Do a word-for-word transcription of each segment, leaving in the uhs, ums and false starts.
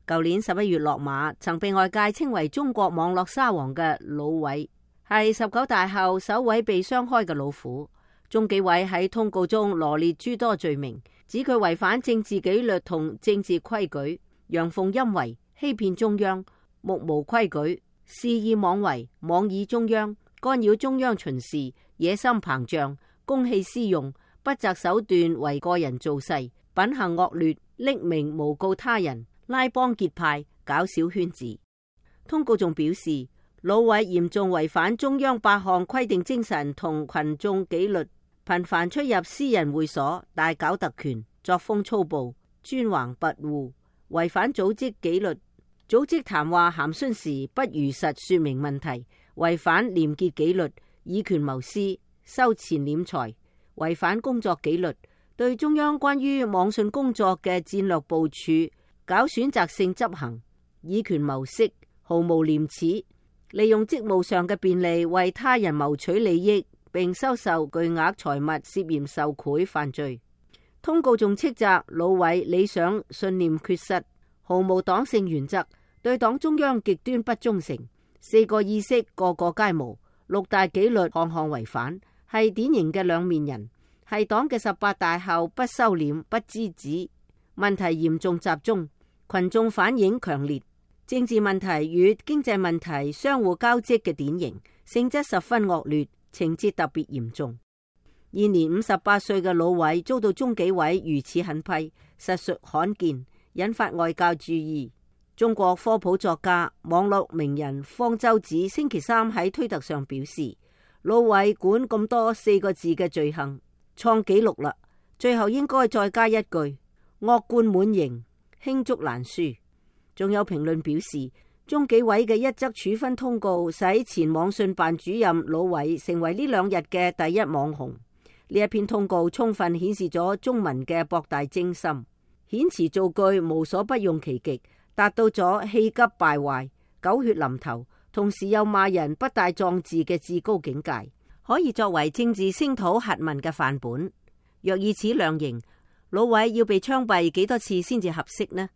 舊年十一月落馬，曾被外界稱為中國網絡沙皇嘅魯偉，係十九大後首位被雙開嘅老虎。中紀委喺通告中羅列諸多罪名，指佢違反政治紀律同政治規矩，陽奉陰違、欺騙中央、目無規矩、肆意妄為、妄議中央、干擾中央巡視、野心膨脹、公器私用、不擇手段為個人造勢、品行惡劣、匿名誣告他人、拉幫結派、搞小圈子。通告仲表示，魯偉嚴重違反中央八項規定精神同群眾紀律，頻繁出入私人會所，大搞特權，作風粗暴，專橫跋扈，違反組織紀律，組織談話函詢時不如實說明問題，違反廉潔紀律，以權謀私，收錢斂財，違反工作紀律，對中央關於網信工作嘅戰略部署搞選擇性執行，以權謀色，毫無廉恥，利用職務上嘅便利為他人謀取利益，並收受巨額財物，涉嫌受賄犯罪。通告仲斥責魯偉理想信念缺失，毫無黨性原則，對黨中央極端不忠誠，四個意識個個皆無，六大紀律項項違反，係典型嘅兩面人，係黨嘅十八大後不收斂不知止，問題嚴重集中，群眾反應強烈，政治問題與經濟問題相互交織嘅典型，性質十分惡劣，情節特別嚴重。現年五十八歲嘅魯偉遭到中紀委如此狠批，實屬罕見，引發外界注意。中國科普作家、網絡名人方舟子星期三喺推特上表示，魯偉管咁多四個字嘅罪行創紀錄啦，最後應該再加一句惡貫滿盈，罄竹難書。仲有評論表示，中紀委嘅一則處分通告使前網信辦主任魯偉成為呢兩日嘅第一網紅。呢一篇通告充分顯示咗中文嘅博大精深，遣詞造句無所不用其極，達到咗氣急敗壞、狗血淋頭，同時又罵人不帶壯志嘅至高境界，可以作為政治聲討核問嘅範本。若以此量刑，魯偉要被槍斃幾多次先至合適呢？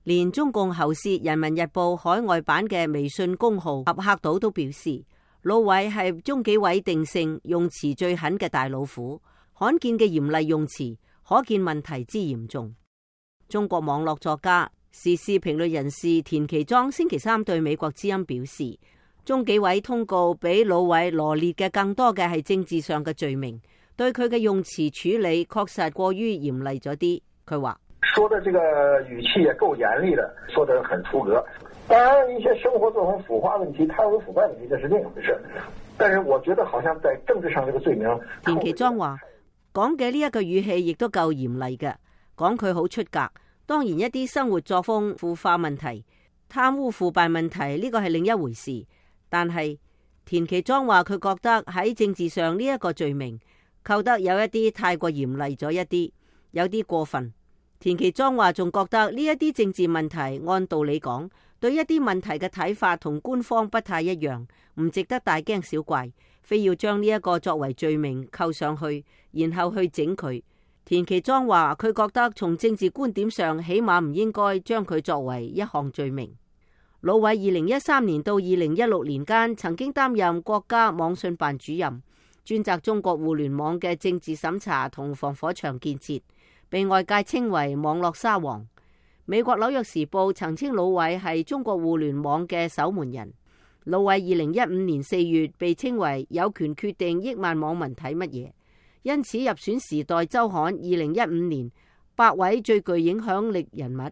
連中共喉舌《人民日報》海外版嘅微信公號合客島都表示，魯偉係中紀委定性用詞最狠嘅大老虎，罕見嘅嚴厲用詞，可見問題之嚴重。中國網絡作家、時事評論人士田其莊星期三對美國之音表示，中紀委通告比魯偉羅列嘅更多嘅係政治上嘅罪名，對佢嘅用詞處理確實過於嚴厲咗啲。佢話：說的這個語氣也夠嚴厲的，說得很出格。當然，一些生活作風腐化問題、貪污腐敗問題，這是另一回事。但是我覺得好像在政治上這個罪名。田其莊話講嘅呢一個語氣亦都夠嚴厲嘅，講佢好出格。當然一啲生活作風腐化問題、貪污腐敗問題呢個係另一回事。但係田其莊話佢覺得喺政治上呢一個罪名扣得有一啲太過嚴厲咗一啲，有啲過分。田其莊話仲覺得呢一啲政治問題按道理講，對一啲問題嘅睇法同官方不太一樣，唔值得大驚小怪，非要將呢一個作為罪名扣上去，然後去整佢。田其莊話佢覺得從政治觀點上，起碼唔應該將佢作為一項罪名。魯偉二零一三年到二零一六年間曾經擔任國家網信辦主任，專責中國互聯網嘅政治審查同防火牆建設，被外界稱為網絡沙皇。美國紐約時報曾稱魯偉係中國互聯網嘅守門人。魯偉二零一五年四月被稱為有權決定億萬網民睇乜嘢，因此入選時代週刊二零一五年百位最具影響力人物。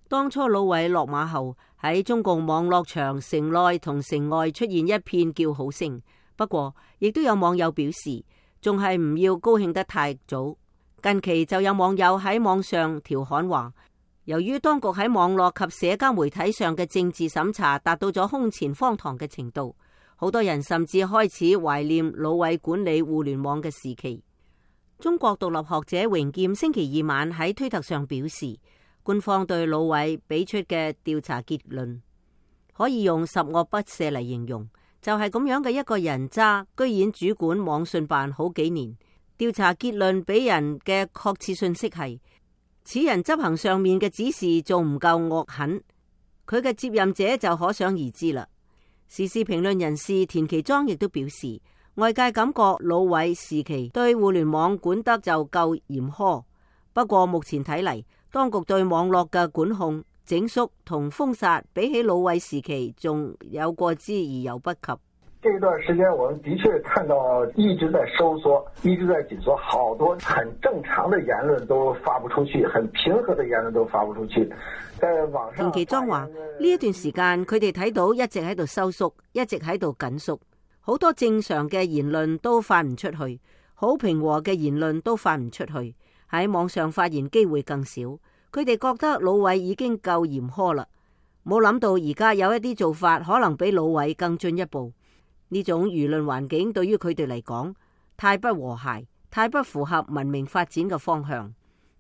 當初魯偉落馬後，喺中共網絡場城內同城外出現一片叫好聲。不過亦都有網友表示，仲係唔要高興得太早。近期就有網友喺網上調侃話，由於當局喺網絡及社交媒體上嘅政治審查達到咗空前荒唐嘅程度，好多人甚至開始懷念魯偉管理互聯網嘅時期。中國獨立學者榮劍星期二晚喺推特上表示，官方對魯偉俾出嘅調查結論可以用十惡不赦嚟形容，就係咁樣嘅一個人渣，居然主管網信辦好幾年。調查結論俾人嘅確切信息係，此人執行上面嘅指示仲唔夠惡狠，佢嘅接任者就可想而知啦。時事評論人士田其莊亦都表示，外界感覺魯偉時期對互聯網管得就夠嚴苛，不過目前睇嚟，當局對網絡嘅管控、整肅同封殺，比起魯偉時期仲有過之而有不及。這段時間，我們的確看到一直在收縮，一直在緊縮，好多很正常的言論都發不出去，很平和的言論都發不出去。在網上，田其莊話：呢一段時間，佢哋睇到一直喺度收縮，一直喺度緊縮，好多正常嘅言論都發唔出去，好平和嘅言論都發唔出去，喺網上發言機會更少。佢哋覺得魯偉已經夠嚴苛啦，冇諗到而家有一啲做法可能比魯偉更進一步。呢種輿論環境對於佢哋嚟講太不和諧，太不符合文明發展嘅方向。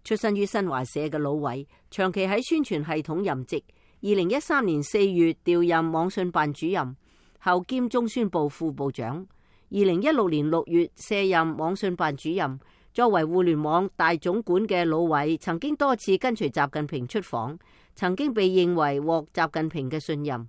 出身於新華社嘅魯偉，長期喺宣傳系統任職。二零一三年四月調任網信辦主任，後兼中宣部副部長。二零一六年六月卸任網信辦主任。作為互聯網大總管嘅魯偉，曾經多次跟隨習近平出訪，曾經被認為獲習近平嘅信任。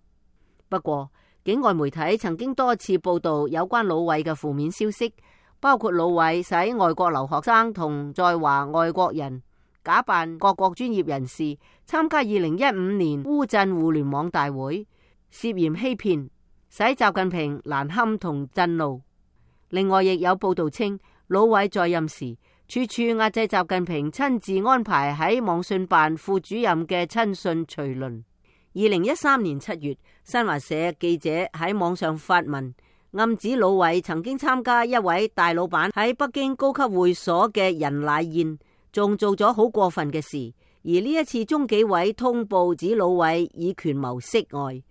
不過，境外媒體曾經多次報道有關魯偉嘅負面消息，包括魯偉使外國留學生同在華外國人假扮各國專業人士參加二零一五年烏鎮互聯網大會，涉嫌欺騙，使習近平難堪同震怒。另外，亦有報道稱，魯偉在任時處處壓制習近平親自安排喺網信辦副主任嘅親信隨輪。二零一三年七月，新華社記者喺網上發文，暗指魯偉曾經參加一位大老闆喺北京高級會所嘅人奶宴，仲做咗好過分嘅事。而呢一次中紀委通報指魯偉以權謀色外，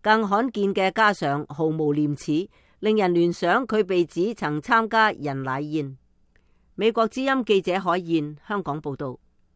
更罕見嘅加上毫無廉恥，令人聯想佢被指曾參加人奶宴。美國之音記者海燕香港報道。